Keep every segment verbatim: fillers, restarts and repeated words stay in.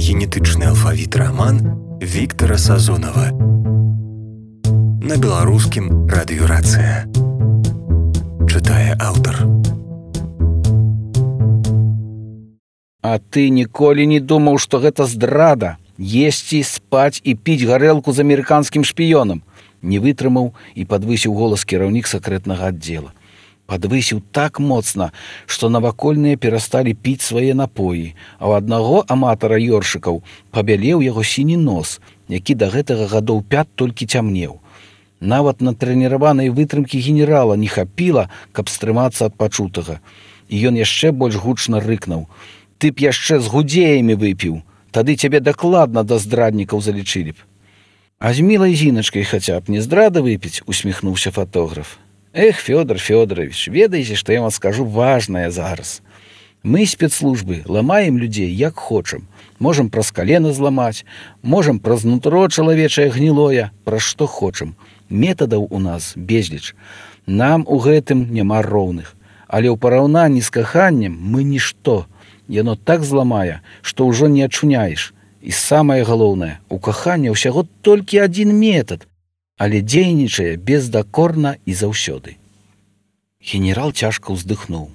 генетычны алфавіт раман Віктара Сазонава. На беларускім радыёрацыя. Чытае аўтар. А ты ніколі не думаў, што гэта здрада? Есці, спаць і піць гарэлку з амерыканскім шпіёнам? Не вытрымаў і падвысіў голас кіраўнік сакрэтнага аддзела. Падвысіў так моцна, што навакольныя перасталі піць свае напоі, а ў аднаго аматара ёршыкаў пабялеў яго сіні нос, які да гэтага гадоў пят толькі цямнеў. Нават на трэніраванай вытрымкі генерала не хапіла, каб стрымацца ад пачутага. І ён яшчэ больш гучна рыкнуў: «Ты б яшчэ з гудзеямі выпіў, тады цябе дакладна да здраднікаў залічылі б». «А з мілай зіначкай хаця б не здрада выпіць», — усміхнуўся фатограф. «Эх, Фёдор Фёдорович, ведаеце, што я вам скажу важнае зараз. Мы, спецслужбы, ламаем людзей як хочам. Можам праз калена зламаць, можам праз нутро чалавечае гнілое, праз што хочам. Метадаў у нас безліч. Нам у гэтым няма роўных. Але ў параўнанні з каханнем мы нішто. Яно так зламае, што ўжо не адчуняеш. І самае галоўнае, у кахання ўсяго толькі адзін метад, але дзейнічае бездакорна і заўсёды». Генерал цяжка ўздыхнуў.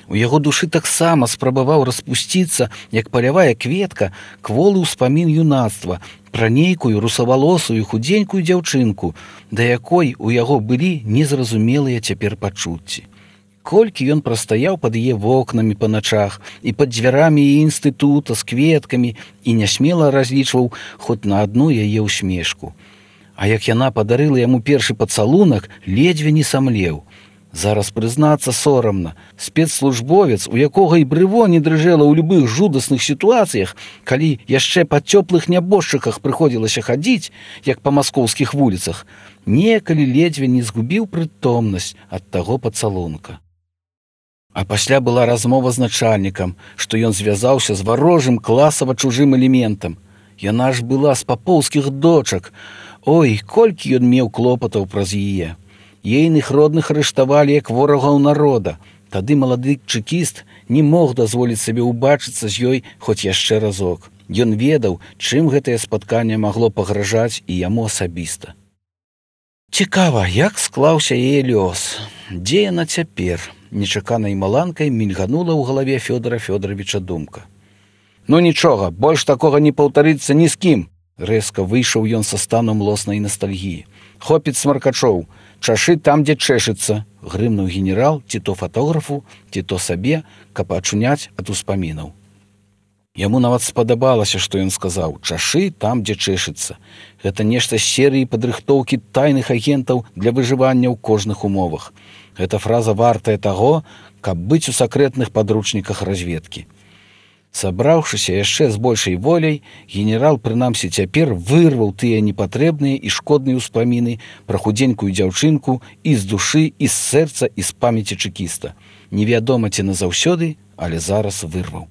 У яго душы таксама спрабаваў распусціцца, як палявая кветка, кволы ўспамін юнацтва пра нейкую русавалосую худзенькую дзяўчынку, да якой у яго былі незразумелыя цяпер пачуцці. Колькі ён прастаяў пад яе вокнамі па начах і пад дзвярамі яе інстытута з кветкамі і нясмела разлічваў хоць на адну яе ўсмешку. А як яна падарыла яму першы пацалунак, ледзьве не самлеў. Зараз прызнацца сорамна, спецслужбовец, у якога і брыво не дрыжэла ў любых жудасных сітуацыях, калі яшчэ па цёплых нябожчыках прыходзілася хадзіць, як па маскоўскіх вуліцах, некалі ледзьве не згубіў прытомнасць ад таго пацалунка. А пасля была размова з начальнікам, што ён звязаўся з варожым класава чужым элементам. Яна ж была з папоўскіх дочак. Ой, колькі ён меў клопатаў праз яе. Ейных родных арыштавалі як ворагаў народа. Тады малады чэкіст не мог дазволіць сабе ўбачыцца з ёй хоць яшчэ разок. Ён ведаў, чым гэтае спатканне магло пагражаць і яму асабіста. Цікава, як склаўся яе лёс. Дзе яна цяпер? Нечаканай маланкай мільганула ў галаве Фёдора Фёдоровича думка. «Ну нічога, больш такога не паўтарыцца ні з кім!» Рэзка выйшаў ён са станом млоснай настальгіі. «Хопіць смаркачоў, чашы там, дзе чэшыцца!» Грымнуў генерал ці то фатографу, ці то сабе, каб ачуняць ад успамінаў. Яму нават спадабалася, што ён сказаў: «Чашы там, дзе чэшыцца». Гэта нешта з серыі падрыхтоўкі тайных агентаў для выжывання ў кожных умовах. Гэта фраза вартая таго, каб быць у сакрэтных падручніках разведкі. Сабраўшыся яшчэ з большай воляй, генерал, прынамсі цяпер, вырваў тыя непатрэбныя і шкодныя ўспаміны пра худзенькую дзяўчынку і з душы, і з сэрца, і з памяці чэкіста. Невядома ці назаўсёды, але зараз вырваў.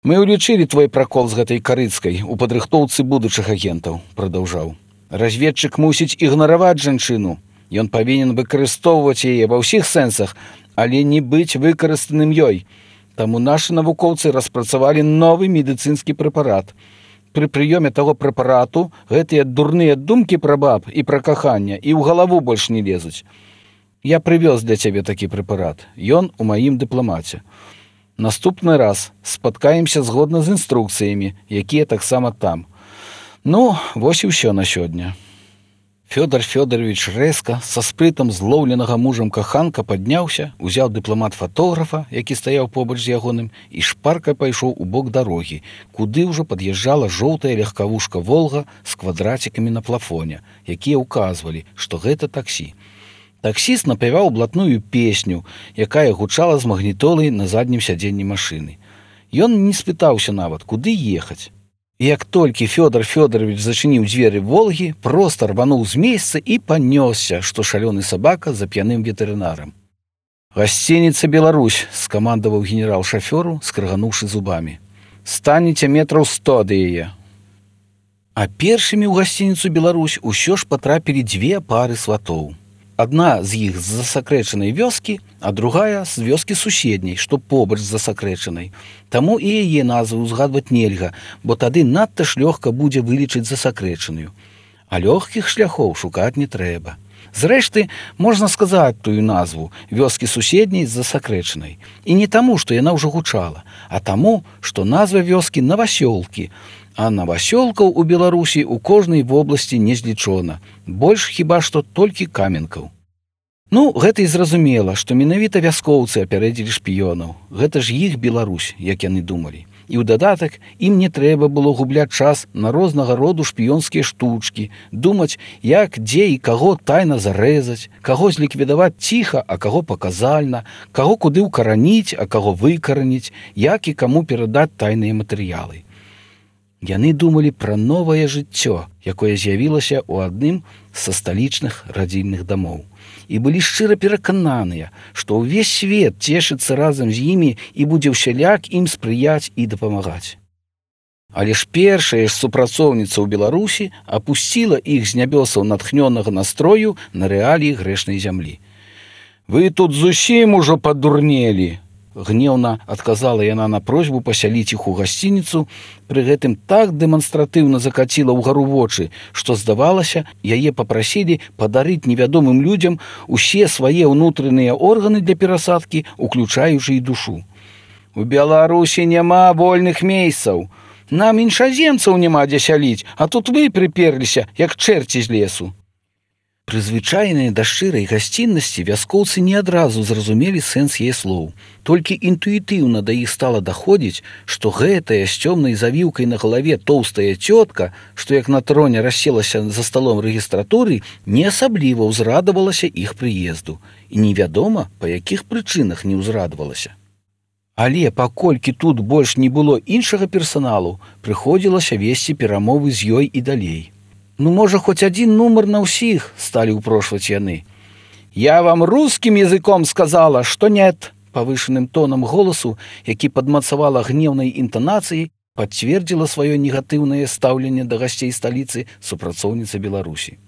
«Мы ўлічылі твой пракол з гэтай карыцкай у падрыхтоўцы будучых агентаў», — прадаўжаў. «Разведчык мусіць ігнараваць жанчыну. Ён павінен выкарыстоўваць яе ва ўсіх сэнсах, але не быць выкарыстаным ёй. Таму нашы навукоўцы распрацавалі новы медыцынскі прэпарат. Пры прыёме таго прэпарату гэтыя дурныя думкі пра баб і пра каханне і ў галаву больш не лезуць. Я прывёз для цябе такі прэпарат. Ён у маім дыпламаце. Наступны раз спаткаемся згодна з інструкцыямі, якія таксама там. Ну, вось і ўсё на сёння». Фёдор Фёдорович рэзка, са спрытам злоўленага мужам каханка падняўся, узяў дыпламат фатографа, які стаяў побач з ягоным, і шпарка пайшоў у бок дарогі, куды ўжо пад'язджала жоўтая легкавушка «Волга» з квадрацікамі на плафоне, якія ўказвалі, што гэта таксі. Таксіст напяваў блатную песню, якая гучала з магнітолай на заднім сядзенні машыны. Ён не спытаўся нават, куды ехаць. І як толькі Фёдор Фёдорович зачыніў дзверы «Волгі», проста рвануў з месца і панёсся, што шалёны сабака за п'яным ветэрынарам. «Гасцініца «Беларусь», — скамандаваў генерал шафёру, скрыгануўшы зубамі. «Станеце метраў сто ад яе». А першымі ў гасцініцу «Беларусь» усё ж патрапілі дзве пары сватоў. адна з іх з засакрэчанай вёскі, а другая з вёскі суседняй, што побач з засакрэчанай. Таму і яе назву ўзгадваць нельга, бо тады надта ж лёгка будзе вылічыць засакрэчаную. А лёгкіх шляхоў шукаць не трэба. Зрэшты, можна сказаць тую назву вёскі суседняй з засакрэчанай. І не таму, што яна ўжо гучала, а таму, што назва вёскі Навасёлкі, а навасёлкаў у Беларусі ў кожнай вобласці не злічона. Больш хіба што толькі каменкаў. Ну, гэта і зразумела, што менавіта вяскоўцы апярэдзілі шпіёнаў. Гэта ж іх Беларусь, як яны думалі. І ў дадатак ім не трэба было губляць час на рознага роду шпіёнскія штучкі, думаць, як, дзе і каго тайна зарэзаць, каго зліквідаваць ціха, а каго паказальна, каго куды ўкараніць, а каго выкараніць, як і каму перадаць тайныя матэрыялы. Яны думалі пра новае жыццё, якое з'явілася ў адным са сталічных радзільных дамоў. І былі шчыра перакананыя, што ўвесь свет цешыцца разам з імі і будзе ўсяляк ім спрыяць і дапамагаць. Але ж першая ж супрацоўніца ў Беларусі апусціла іх з нябёсаў натхнёнага настрою на рэаліі грэшнай зямлі. «Вы тут зусім ужо падурнелі!» Гневна адказала яна на просьбу пасяліць іх у гасцініцу, пры гэтым так дэманстратыўна закаціла ўгару вочы, што, здавалася, яе папрасілі падарыць невядомым людзям усе свае ўнутраныя органы для перасадкі, уключаючы і душу. «У Беларусі няма вольных месцаў. Нам іншаземцаў няма дзе сяліць, а тут вы прыперліся, як чэрці з лесу». Прызвычайныя да шчырай гасціннасці вяскоўцы не адразу зразумелі сэнс яе слоў. Толькі інтуітыўна да іх стала даходзіць, што гэтая з цёмнай завіўкай на галаве тоўстая цётка, што як на троне расселася за сталом рэгістратуры, не асабліва ўзрадавалася іх прыезду. І невядома, па якіх прычынах не ўзрадавалася. Але паколькі тут больш не было іншага персаналу, прыходзілася весці перамовы з ёй і далей. «Ну, можа, хоць адзін нумар на ўсіх», – сталі ўпрошваць яны. «Я вам рускім языком сказала, што нет», – павышаным тонам голасу, які падмацавала гневнай інтанацыяй, пацвердзіла сваё негатыўнае стаўленне да гасцей сталіцы супрацоўніца Беларусі.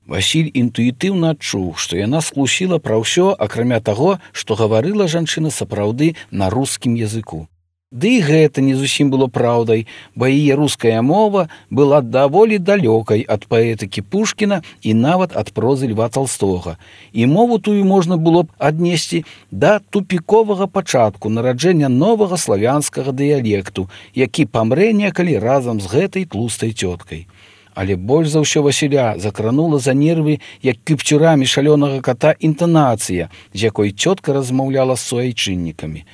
Васіль інтуітыўна адчуў, што яна схлусіла пра ўсё, акрамя таго, што гаварыла жанчына сапраўды на рускім языку. Ды і гэта не зусім было праўдай, бо яе руская мова была даволі далёкай ад паэтыкі Пушкіна і нават ад прозы Льва Талстога. І мову тую можна было б аднесці да тупіковага пачатку нараджэння новага славянскага дыялекту, які памрэ некалі разам з гэтай тлустай цёткай. Але больш за ўсё Васіля закранула за нервы, як кіпцюрамі шалёнага кота, інтанацыя, з якой цётка размаўляла з суайчыннікамі.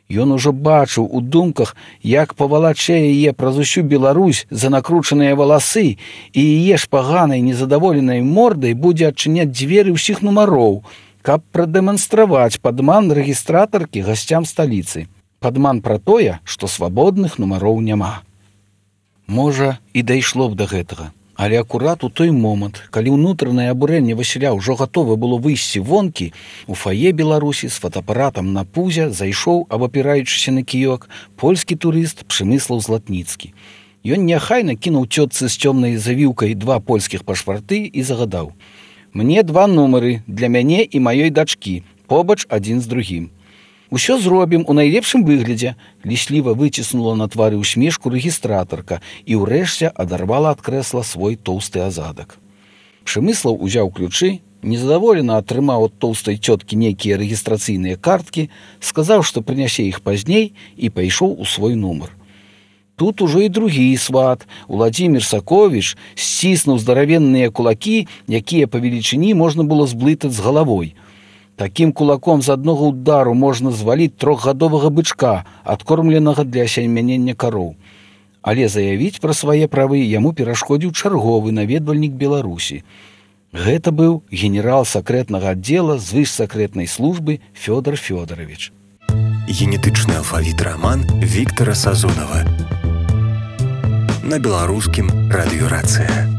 Ён ужо бачыў у думках, як павалачэ яе праз усю Беларусь за накручаныя валасы, і яе шпаганай незадаволенай мордай будзе адчыняць дзверы ўсіх нумароў, каб прадэманстраваць падман рэгістратаркі гасцям сталіцы. Падман пра тое, што свабодных нумароў няма. Можа, і дайшло б да гэтага. Але акурат у той момант, калі ўнутранае абурэнне Васіля ўжо гатова было выйсці вонкі, у фае Беларусі з фотоапаратам на пузе зайшоў, абапіраючыся на кіёк, польскі турыст Пшемыслаў Златніцкі. Ён няхайна кінуў цётцы з цёмнай завіўкай два польскіх пашпарты і загадаў: «Мне два нумары для мяне і маёй дачкі, побач адзін з другім. Усё зробім у найлепшым выглядзе», – лісліва выціснула на твары усмешку рэгістратарка і ўрэшце адарвала ад крэсла свой тоўсты азадак. Пшемыслаў узяў ключы, незадаволена атрымаў ад тоўстай цёткі нейкія рэгістрацыйныя карткі, сказаў, што прынясе іх пазней, і пайшоў у свой нумар. Тут ужо і другі сват, Уладзімір Саковіч, сціснуў здаравенныя кулакі, якія па велічыні можна было зблытаць з галавой. Такім кулаком з аднога ўдару можна зваліць трохгадовага бычка, адкормленага для асямянення кароў. Але заявіць пра свае правы яму перашкодзіў чарговы наведвальнік Беларусі. Гэта быў генерал сакрэтнага аддзела звышсакрэтнай службы Фёдор Фёдорович. Генетычны алфавіт раман Віктара Сазонава. На беларускім радыёрацыя.